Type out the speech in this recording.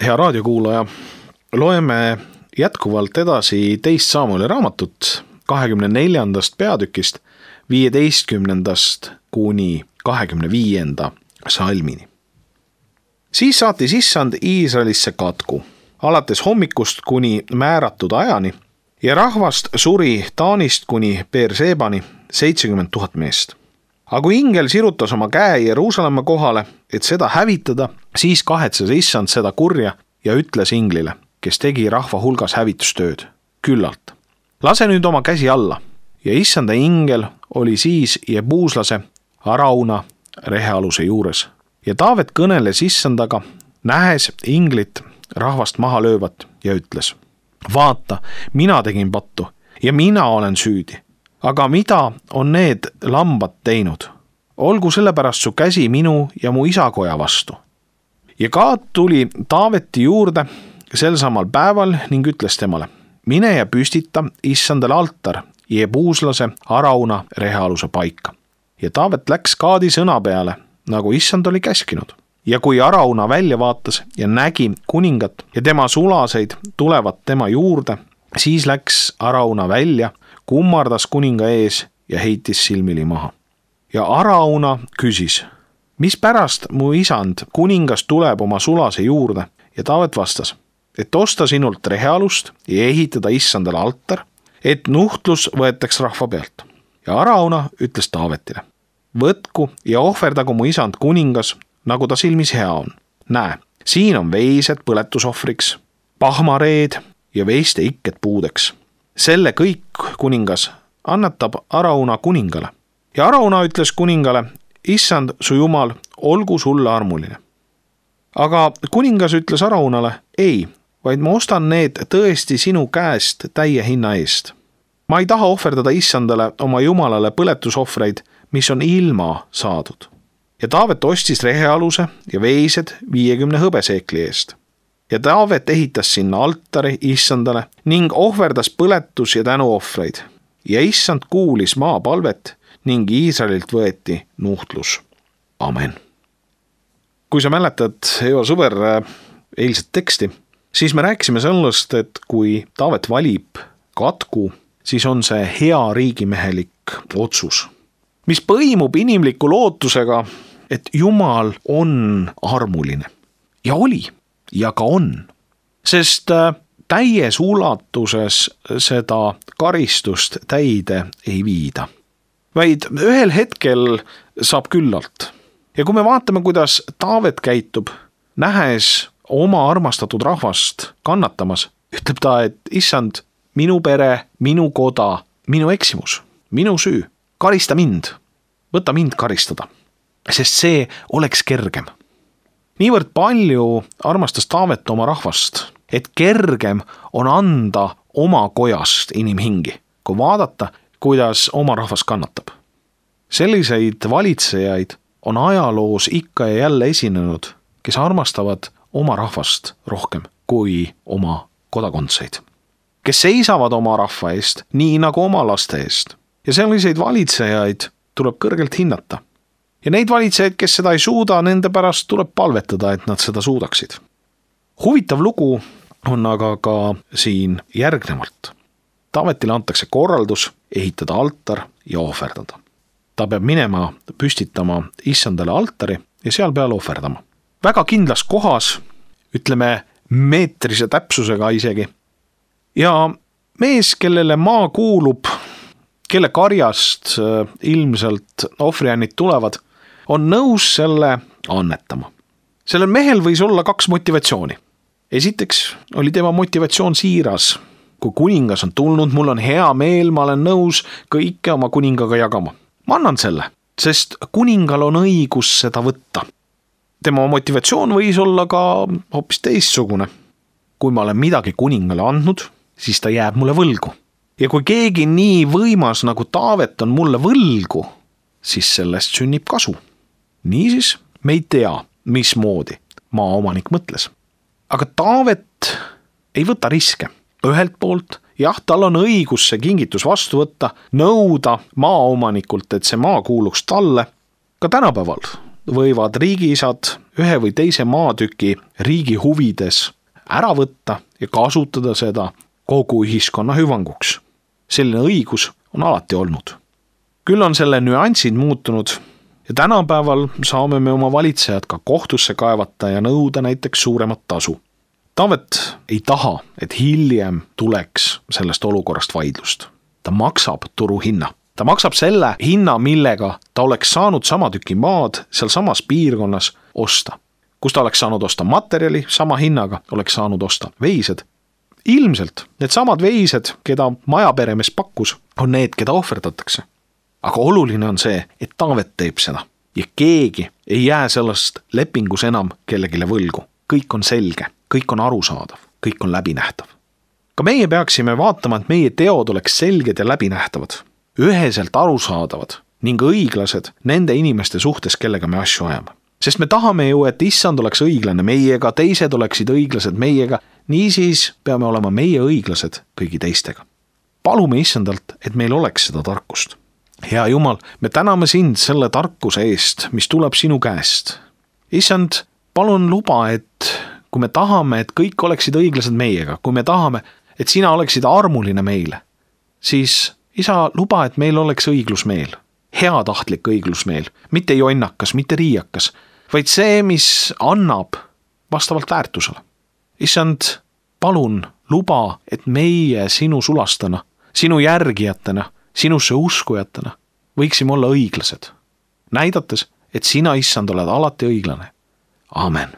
hea raadiokuulaja, loeme jätkuvalt edasi 2. Samueli raamatut 24. peatükist 15. kuni 25. salmini. Siis saatis Issand Iisraelisse katku, alates hommikust kuni määratud ajani, ja rahvast suri Taanist kuni Beershebani 70 000 meest. Aga kui ingel sirutas oma käe Jeruusalemma kohale, et seda hävitada, siis kahetses Issand seda kurja ja ütles inglile, kes tegi rahva hulgas hävitustööd, küllalt. Lase nüüd oma käsi alla. Ja Issanda ingel oli siis Jebuuslase Arauna rehealuse juures. Ja Taavet kõneles Issandaga, nähes inglit rahvast maha löövat ja ütles: vaata, mina tegin pattu ja mina olen süüdi. Aga mida on need lambad teinud? Olgu sellepärast su käsi minu ja mu isakoja vastu. Ja Gaad tuli Taaveti juurde sel samal päeval ning ütles temale: mine ja püstita Issandale altar Jebuuslase Arauna rehealuse paika. Ja Taavet läks Gaadi sõna peale, nagu Issand oli käskinud. Ja kui Arauna välja vaatas ja nägi kuningat ja tema sulaseid tulevat tema juurde, siis läks Arauna välja, kummardas kuninga ees ja heitis silmili maha. Ja Arauna küsis: mis pärast mu isand kuningas tuleb oma sulase juurde? Ja Taavet vastas: et osta sinult rehealust ja ehitada Issandale altar, et nuhtlus võetaks rahva pealt. Ja Arauna ütles Taavetile: võtku ja ohverdagu mu isand kuningas, nagu ta silmis hea on. Näe, siin on veised põletusohvriks, pahmareed ja veiste ikked puudeks. Selle kõik kuningas annetab Arauna kuningale. Ja Arauna ütles kuningale: Issand, su jumal, olgu sulle armuline. Aga kuningas ütles Araunale: ei, vaid ma ostan need tõesti sinu käest täie hinna eest. Ma ei taha ohverdada Issandale oma jumalale põletusohvreid, mis on ilma saadud. Ja Taavet ostis rehealuse ja veised 50 hõbeseekli eest. Ja Taavet ehitas sinna altari Issandale ning ohverdas põletus- ja tänuohvreid. Ja Issand kuulis maapalvet ning Iisraelilt võeti nuhtlus. Amen. Kui sa mäletad, hea sõber, eilset teksti, siis me rääkisime sellest, et kui Taavet valib katku, siis on see hea riigimehelik otsus, mis põimub inimliku lootusega, et Jumal on armuline. Ja oli, ja ka on. Sest täies ulatuses seda karistust täide ei viida, vaid ühel hetkel saab küllalt. Ja kui me vaatame, kuidas Taavet käitub, nähes oma armastatud rahvast kannatamas, ütleb ta, et Issand, minu pere, minu koda, minu eksimus, minu süü, karista mind, võta mind karistada, sest see oleks kergem. Niivõrd palju armastas Taavet oma rahvast, et kergem on anda oma kojast inimhingi, kui vaadata, kuidas oma rahvas kannatab. Selliseid valitsejaid on ajaloos ikka ja jälle esinenud, kes armastavad oma rahvast rohkem kui oma kodakondseid. Kes seisavad oma rahva eest, nii nagu oma laste eest. Ja selliseid valitsejaid tuleb kõrgelt hinnata. Ja neid valitsejaid, kes seda ei suuda, nende pärast tuleb palvetada, et nad seda suudaksid. Huvitav lugu on aga ka siin järgnevalt. Taavetile antakse korraldus ehitada altar ja ohverdada. Ta peab minema püstitama Issandale altari ja seal peal ohverdama. Väga kindlas kohas, ütleme meetrise täpsusega isegi. Ja mees, kellele maa kuulub, kelle karjast ilmselt ohvriannid tulevad, on nõus selle annetama. Sellel mehel võis olla 2 motivatsiooni. Esiteks oli tema motivatsioon siiras. Kui kuningas on tulnud, mul on hea meel, ma olen nõus kõike oma kuningaga jagama. Ma annan selle, sest kuningal on õigus seda võtta. Tema motivatsioon võis olla ka hoopis teistsugune. Kui ma olen midagi kuningale andnud, siis ta jääb mulle võlgu. Ja kui keegi nii võimas nagu Taavet on mulle võlgu, siis sellest sünnib kasu. Niisiis me ei tea, mismoodi maaomanik mõtles. Aga Taavet ei võta riske. Ühelt poolt, jah, tal on õigus see kingitus vastu võtta, nõuda maaomanikult, et see maa kuuluks talle. Ka tänapäeval võivad riigiisad ühe või teise maatüki riigi huvides ära võtta ja kasutada seda kogu ühiskonna hüvanguks. Selline õigus on alati olnud. Küll on selle nüansid muutunud ja tänapäeval saame me oma valitsejad ka kohtusse kaevata ja nõuda näiteks suuremat tasu. Taavet ei taha, et hiljem tuleks sellest olukorrast vaidlust. Ta maksab turuhinna. Ta maksab selle hinna, millega ta oleks saanud sama tüki maad seal samas piirkonnas osta. Kus ta oleks saanud osta materjali, sama hinnaga oleks saanud osta veised. Ilmselt need samad veised, keda majaperemees pakkus, on need, keda ohverdatakse. Aga oluline on see, et Taavet teeb seda ja keegi ei jää sellest lepingus enam kellegile võlgu. Kõik on selge, kõik on arusaadav, kõik on läbinähtav. Ka meie peaksime vaatama, et meie teod oleks selged ja läbinähtavad, üheselt arusaadavad ning õiglased nende inimeste suhtes, kellega me asju ajame. Sest me tahame ju, et issand oleks õiglane meiega, teised oleksid õiglased meiega, niisiis peame olema meie õiglased kõigi teistega. Palume issandalt, et meil oleks seda tarkust. Hea Jumal, me täname sind selle tarkuse eest, mis tuleb sinu käest. Issand, palun luba, et kui me tahame, et kõik oleksid õiglased meiega, kui me tahame, et sina oleksid armuline meile, siis isa, luba, et meil oleks õiglusmeel, heatahtlik õiglusmeel, mitte jonnakas, mitte riiakas, vaid see, mis annab vastavalt väärtusele. Issand, palun luba, et meie sinu sulastana, sinu järgijatena, sinusse uskujatena võiksime olla õiglased, näidates, et sina, issand, oled alati õiglane. Amen.